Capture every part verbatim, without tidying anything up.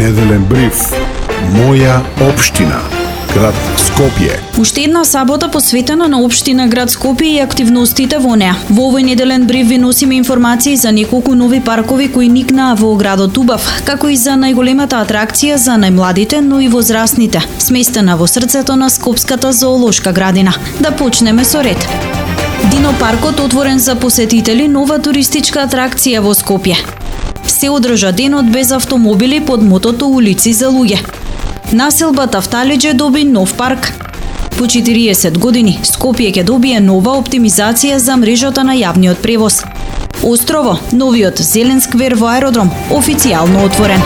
Неделен бриф. Моја општина. Град Скопје. Уште една сабота посветена на општина град Скопје и активностите во неа. Во овој неделен бриф ви носиме информации за неколку нови паркови кои никнаа во градот Убав, како и за најголемата атракција за најмладите, но и возрастните, сместена во срцето на Скопската зоолошка градина. Да почнеме со ред. Динопаркот отворен за посетители, нова туристичка атракција во Скопје. Се одржа денот без автомобили под мотото улици за луѓе. Населба Тафталиџе доби нов парк. По четириесет години Скопје ќе добие нова оптимизација за мрежата на јавниот превоз. Острово, новиот зелен сквер во аеродром, официјално отворен.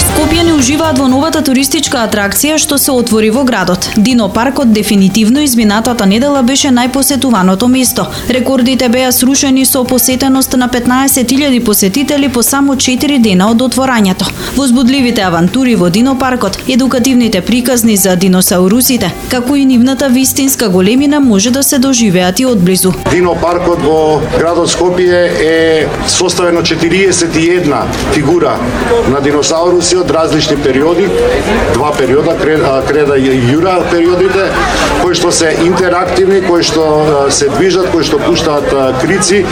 Скопјани уживаат во новата туристичка атракција што се отвори во градот. Динопаркот дефинитивно изминатата недела беше најпосетуваното место. Рекордите беа срушени со посетеност на петнаесет илјади посетители по само четири дена од отворањето. Возбудливите авантури во Динопаркот, едукативните приказни за диносаурусите, како и нивната вистинска големина може да се доживеат и одблизу. Динопаркот во градот Скопје е составен од четириесет и една фигура на диносауруси од различни периоди, два периода, креда и јура периодите, кои што се интерактивни, кои што се движат, кои што пуштаат крици,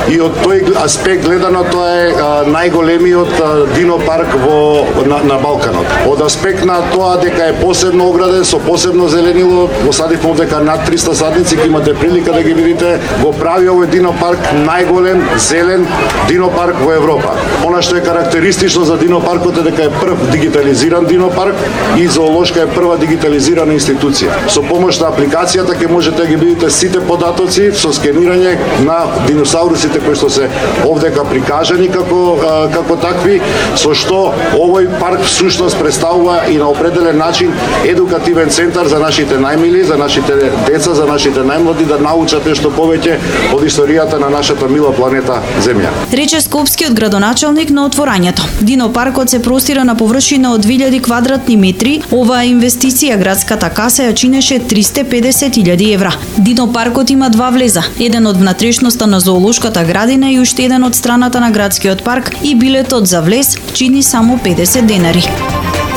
и од тој аспект гледано тоа е најголемиот динопарк во на, на Балканот. Од аспект на тоа дека е посебно ограден со посебно зеленило, го садивме дека над триста садници, ќе имате прилика да ги видите, го прави овој динопарк најголем зелен динопарк во Европа. Она што е карактеристично за динопаркот е дека е прв дигитализиран динопарк и зоолошка е прва дигитализирана институција. Со помош на апликацијата ќе можете да ги видите сите податоци со скенирање на диносаурусите кои што се овдека прикажани како како такви, со што овој парк всушност представува и на определен начин едукативен центар за нашите најмили, за нашите деца, за нашите најмлади да научат нешто повеќе од историјата на нашата мила планета Земја. Рече скопскиот градоначалник на отворањето. Динопаркот се простира на површина од две илјади квадратни метри. Оваа инвестиција градската каса ја чинеше триста и педесет илјади евра. Динопаркот има два влеза, еден од внатрешноста на зоолошката градина и уште еден од страната на градскиот парк, и билетот за влез чини само педесет денари.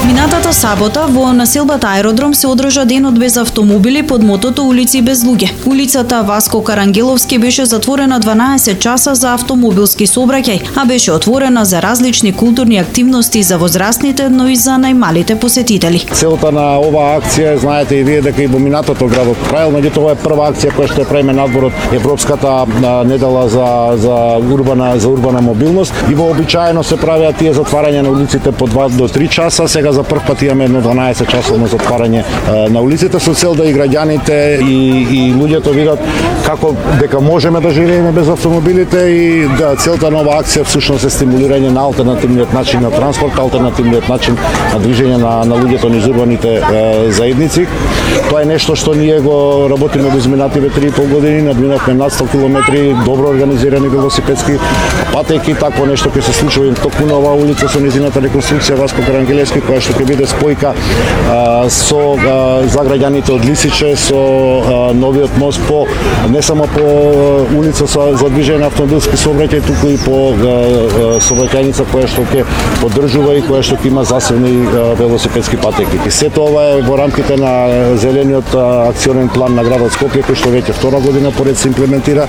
Минатата сабота во населбата Аеродром се одржа денот без автомобили под мотото улици без луѓе. Улицата Васко Карангеловски беше затворена дванаесет часа за автомобилски сообраќај, а беше отворена за различни културни активности за возрастните, но и за најмалите посетители. Целта на оваа акција, знаете и вие дека и во минатото градот правил, меѓутоа ова е прва акција која што ја правиме надвор од Европската недела за за урбана за урбана мобилност, и вообичаено се правеа тие затварања на улиците по два до три часа. Сега за прв пат имаме едно дванаесет часовно затварање на улиците со цел да и граѓаните и, и луѓето видат како дека можеме да живееме без автомобилите, и да целта на оваа акција всушност е стимулирање на алтернативниот начин на транспорт, алтернативниот начин на движење на, на луѓето низ урбаните е, заедници. Тоа е нешто што ние го работиме во изминативе три и пол години, надминавме над сто километри добро организирани велосипедски патеки, такво нешто ќе се случува и токму на оваа улица со низината реконструкција Васко Карангелевски, која што ќе биде спојка а, со а, за граѓаните од Лисиче, со а, новиот мост по не само по улица со, за движење на автомобилски сообраќај, туку и по сообраќајница која што ќе поддржува и која што ќе има засебни а, велосипедски патеки. И сето ова е во рамките на зелениот а, акционен план на градот Скопје, кој што веќе втора година поред се имплементира,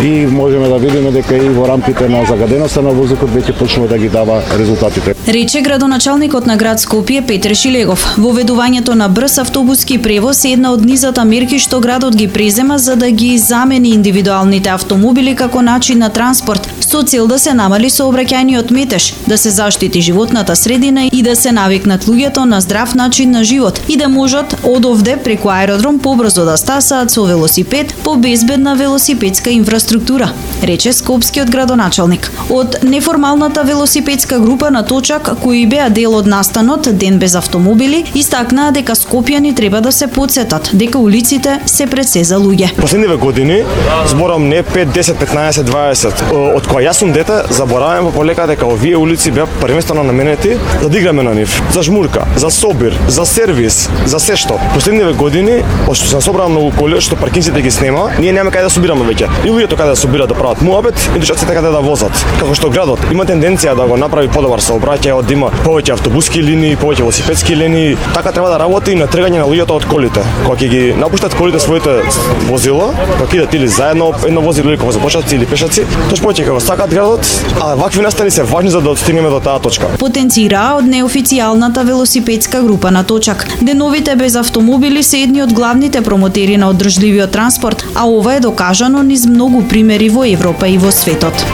и можеме да видиме дека и во рамките на загаденоста на воздухот веќе почнува да ги дава резултатите. Рече градоначалникот на град Скопје Петре Шилегов. Воведувањето на брз автобуски превоз е една од низата мерки што градот ги презема за да ги замени индивидуалните автомобили како начин на транспорт, со цел да се намали сообраќајниот метеж, да се заштити животната средина и да се навикнат луѓето на здрав начин на живот и да можат од овде преку аеродром побрзо да стасаат со велосипед по безбедна велосипедска инфраструктура, рече скопскиот градоначалник. Од неформалната велосипедска група на Точак, кои беа дел од настанот Ден без автомобили, истакнаа дека скопјани треба да се потсетат дека улиците се пред се за луѓе. Последниве години, зборам не пет, десет, петнаесет, дваесет, од кога јас сум дете, забораваме полека дека овие улици беа првенствено наменети за да играме на нив, за жмурка, за собир, за сервис, за се што. Последниве години, пошто се собраа многу коли што паркинците ги снема, ние немаме каде да собираме веќе. И луѓето каде да собираат да прават муабет, и дечаците каде да возат. Како што градот има тенденција да го направи подобар сообраќај, да има повеќе автобуски линии, линии, повеќе велосипедски линии. Така треба да работи и на трегање на луѓето од колите. Кога ќе ги напуштат колите своите возила, кога идат или заедно едно возило или кога започнат или пешаци, тош повеќе кога сакаат градот, а вакви настани се важни за да отстигнеме до таа точка. Потенцираа од неофицијалната велосипедска група на Точак. Деновите без автомобили се едни од главните промотери на одржливиот транспорт, а ова е докажано низ многу примери во Европа и во светот.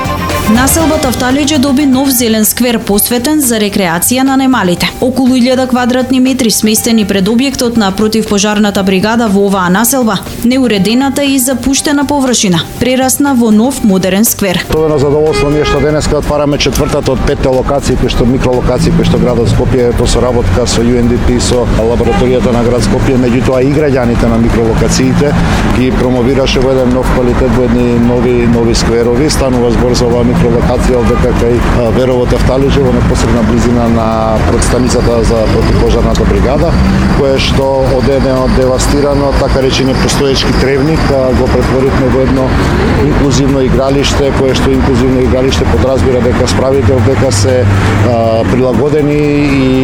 Населбата Вталиџе доби нов зелен сквер посветен за рекреација на немалите. Околу илјада квадратни метри сместени пред објектот на противпожарната бригада во оваа населба, неуредената и запуштена површина прерасна во нов модерен сквер. Тоа е задоволство ние што денеска отвараме четвртата од петте локации кои што микролокации кои што градот Скопје по соработка со Ю Ен Ди Пи со лабораторијата на град Скопје, меѓутоа и граѓаните на микролокациите ги промовираше во еден нов квалитет, во едни нови нови скверови. Станува збор за оваа микролокација овде кај Веровото Вталиџе во непосредна близина на станицата за противпожарната бригада, кое што од едно девастирано, така речени постоечки тревник, го претворивме во едно инклузивно игралиште, кое што инклузивно игралиште подразбира дека справите дека се а, прилагодени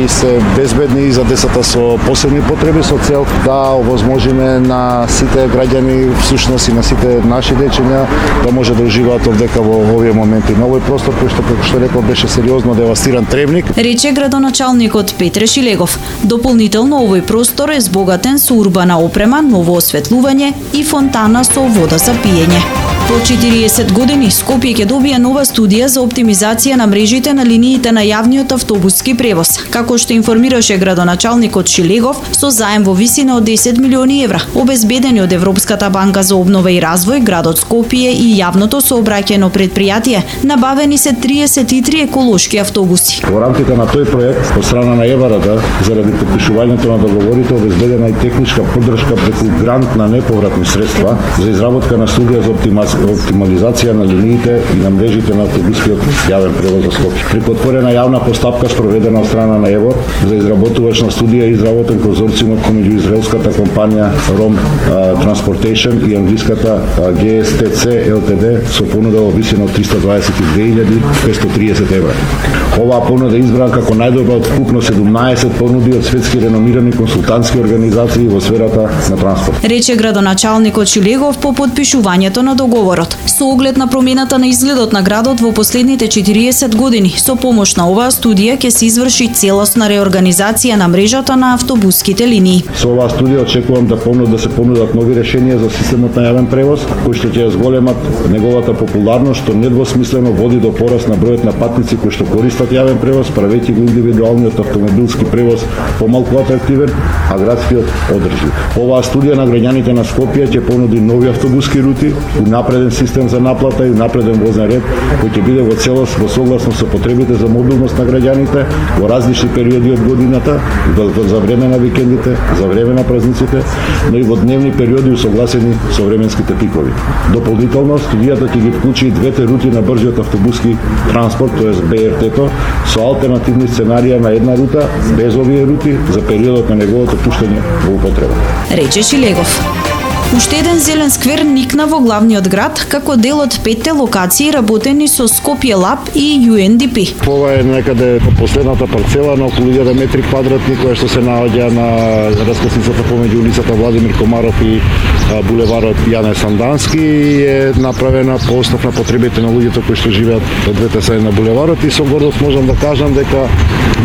и се безбедни за децата со посебни потреби, со цел да овозможиме на сите граѓани, всушност и на сите наши дечиња да може да уживаат овдека во овие моменти. На овој простор кој што, како што рекол, беше сериозно девастиран тревник. Рече градоначалникот Петре Шилегов. Дополнително овој простор е збогатен со урбана опрема, ново осветлување и фонтана со вода за пиење. По четириесет години Скопје ќе добие нова студија за оптимизација на мрежите на линиите на јавниот автобуски превоз. Како што информираше градоначалникот Шилегов, со заем во висина од десет милиони евра, обезбедени од Европската банка за обнова и развој, градот Скопје и јавното сообраќајно предпријатие, набавени се триесет и три еколошки автобуси. Во рамките на тој проект, од страна на ЕВРД, заради подпишувањето на договорите, обезбедена и техничка поддршка преку грант на неповратни средства за изработка на студија за оптимизација оптимализација на линиите и на мрежите на автобускиот јавен превоз за Скопје. Преку отворена јавна постапка спроведена од страна на ЕВОР за изработувачна студија и изработен конзорциумот меѓу израелската компанија Ром Transportation и англиската Джи Ес Ти Си Ел Ти Ди со понуда во висина од триста дваесет и две илјади петстотини и триесет евра. Оваа понуда е избрана како најдобра од вкупно седумнаесет понуди од светски реномирани консултантски организации во сферата на транспорт. Рече градоначалникот Шилегов по подпишувањето на договорот. Со оглед на промената на изгледот на градот во последните четириесет години, со помош на оваа студија ќе се изврши целосна реорганизација на мрежата на автобуските линии. Со оваа студија очекувам да понудат да се понудат нови решенија за системот на јавен превоз, кои што ќе зголемат неговата популарност, што недвосмислено води до пораст на бројот на патници кои што користат јавен превоз, правејќи го индивидуалниот автомобилски превоз помалку атрактивен, а градскиот одржлив. Оваа студија на граѓаните на Скопје ќе понуди нови автобуски рути, напреден систем за наплата и напреден возен ред кој ќе биде во целост во согласно со потребите за мобилност на граѓаните во различни периоди од годината, за време на викендите, за време на празниците, но и во дневни периоди усогласени со временските пикови. Дополнително, студијата ќе ги вклучи и двете рути на брзиот автобуски транспорт, тоест Бе Ер Те-то, со алтернативни сценарија на една рута, без овие рути, за периодот на неговото пуштање во употреба. Рече Шилегов. Уште еден зелен сквер никна во главниот град како дел од петте локации работени со Скопје Лаб и Ю Ен Ди Пи. Ова е некаде последната парцела на околу илјада метри квадратни која што се наоѓа на раскосницата помеѓу улицата Владимир Комаров и булеварот Јане Сандански и е направена по основ на потребите на луѓето кои што живеат од двете страни на булеварот и со гордост можам да кажам дека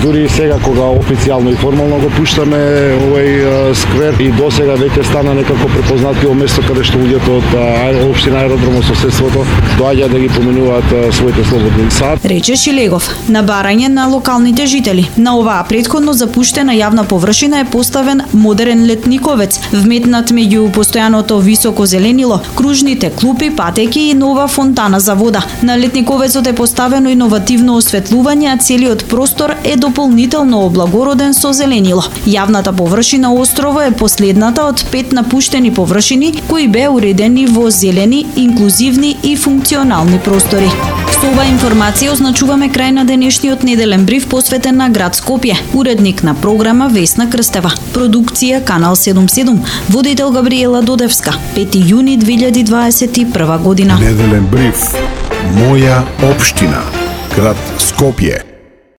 дури сега кога официјално и формално го пуштаме овој сквер и досега веќе стана некако препознат тоа место каде што луѓето од општина Аеродром од соседството доаѓаат да ги поменуваат своите слободни сати. Рече Шилегов. На барање на локалните жители на оваа претходно запуштена јавна површина е поставен модерен летниковец, вметнат меѓу постојаното високо зеленило, кружните клупи, патеки и нова фонтана за вода. На летниковецот е поставено иновативно осветлување, а целиот простор е дополнително облагороден со зеленило. Јавната површина острово е последната од пет напуштени површини кои беа уредени во зелени, инклузивни и функционални простори. Со оваа информација означуваме крај на денешниот неделен бриф посветен на град Скопје. Уредник на програма Весна Крстева. Продукција Канал седумдесет и седум. Водител Габриела Додевска. пети јуни две илјади дваесет и прва година. Неделен бриф. Моја општина. Град Скопје.